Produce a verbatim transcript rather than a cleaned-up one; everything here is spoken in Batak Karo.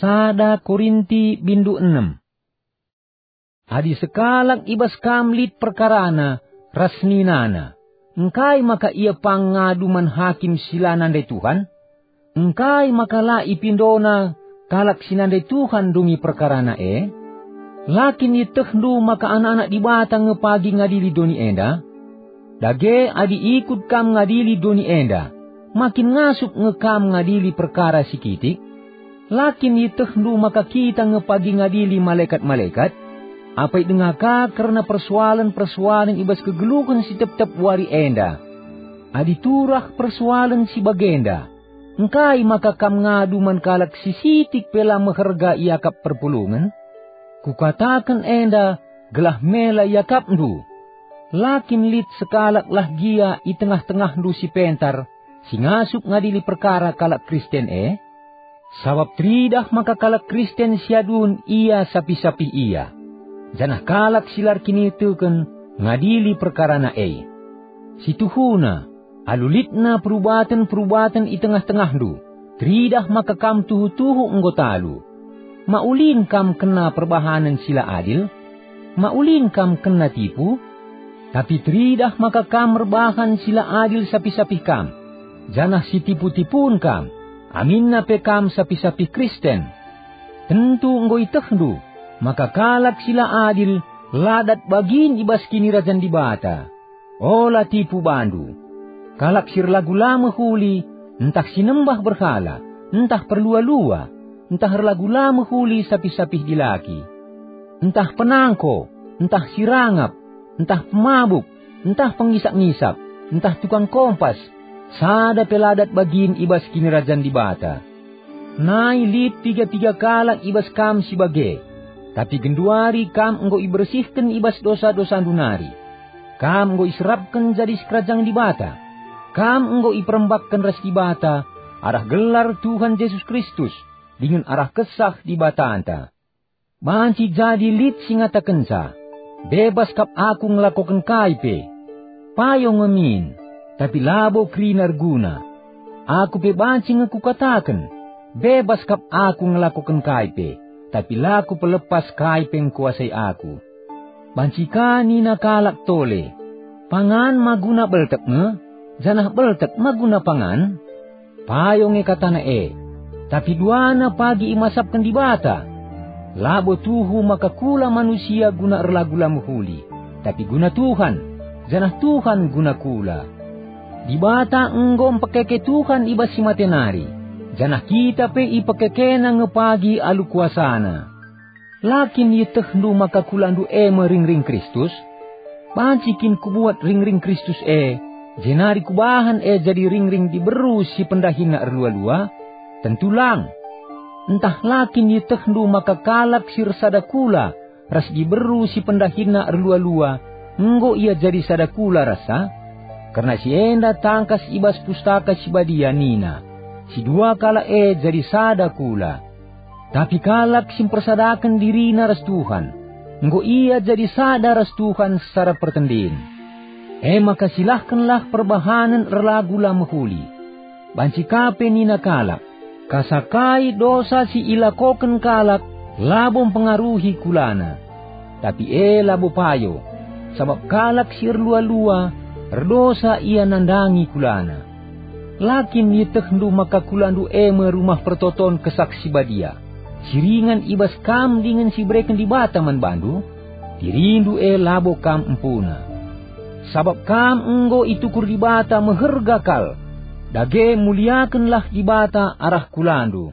Sada Korinti bindu enem. Adi sekalak i bas kam lit perkarana ras ninana, engkai maka ia pang ngadu man hakim si la nandai Tuhan? Engkai maka la ipindona kalak si nandai Tuhan ndungi perkarana e? La kin ietehndu maka anak-anak Dibata nge pagi ngadili doni enda? Dage adi ikut kam ngadili doni enda, ma kin ngasup nge kam ngadili perkara si kitik? La kin ietehndu maka kita nge pagi ngadili malekat-malekat? Apai denga ka kerna persoalen-persoalen i bas kegeluhen si tep-tep wari enda? Adi turah persoalen si bagenda, engkai maka kam ngadu man kalak si sitik pe la meherga iakap perpulungen? Kukataken enda gelah mela iakapndu. La kin lit sekalak lah gia i tengah-tengahndu si pentar, si ngasup ngadili perkara kalak Kristen e? Sabap teridah maka kalak Kristen si adun ia sapih-sapih ia, janah kalak si la erkiniteken ngadili perkarana e. Si tuhuna, alu litna perubaten-perubaten i tengah-tengahndu, teridah maka kam tuhu-tuhu enggo talu. Ma ulin kam kena perbahanen si la adil? Ma ulin kam kena tipu? Tapi teridah maka kam erbahan si la adil sapih-sapih kam, janah si tipu-tipun kam, aminna pe kam sapih-sapih Kristen. Tentu enggo ietehndu maka kalak si la adil la dat bagin i bas Kinirajan Dibata. Ola tipu bandu. Kalak si erlagu la mehuli, ntah si nembah berhala, ntah perlua-lua, ntah erlagu la mehuli sapih-sapih dilaki, ntah penangko, ntah si rangap, ntah pemabuk, ntah pengisak-ngisak, ntah tukang kompas, sada pe la dat bagin i bas Kinirajan Dibata. Nai lit piga-piga kalak i bas kam si bage, tapi genduari kam enggo ibersihken i bas dosa-dosandu nari. Kam enggo iserapken jadi sikerajangen Dibata. Kam enggo iperembakken ras Dibata arah gelar Tuhan Jesus Kristus dingen arah Kesah Dibatanta. Banci jadi lit si ngatakenca, "Bebas kap aku ngelakoken kai pe." Payo nge min, tapi labo kerina erguna. Aku pe banci nge kukataken, "Bebas kap aku ngelakoken kai pe," tapi la kupelepas kai pe ngkuasai aku. Banci ka nina kalak tole, "Pangan ma guna beltek nge, janah beltek ma guna pangan?" Payo nge katana e, tapi duana pagi imasapken Dibata. Labo tuhu maka kula manusia guna erlagu la mehuli, tapi guna Tuhan, janah Tuhan guna kula. Dibata enggo mpekeke Tuhan i bas si mate nari, janah kita pe ipekekena nge pagi alu kuasaNa. La kin ietehndu maka kulandu e me ringring Kristus? Banci kin kubuat ringring Kristus e, jenari kubahan e jadi ringring diberu si pendahinna erlua-lua? Tentu lang! Ntah la kin ietehndu maka kalak si ersada kula ras diberu si pendahinna erlua-lua enggo ia jadi sada kula rassa? Kerna si enda tangkas i bas Pustaka Si Badia nina, "Si dua kalak e jadi sada kula." Tapi kalak si mpersadaken dirina ras Tuhan, enggo ia jadi sada ras Tuhan secara pertendin. E maka silahkenlah perbahanen erlagu la mehuli. Banci ka pe nina kalak, "Kasa kai dosa si ilakoken kalak labo mpengaruhi kulana." Tapi e labo payo, sabap kalak si erlua-lua erdosa ia nandangi kulana. La kin ietehndu maka kulandu e me rumah pertoton Kesah Si Badia, si ringan i bas kam dingen si ibereken Dibata man bandu? Dirindu e labo kam empuna. Sabap kam enggo itukur Dibata meherga kal. Dage muliakenlah Dibata arah kulandu.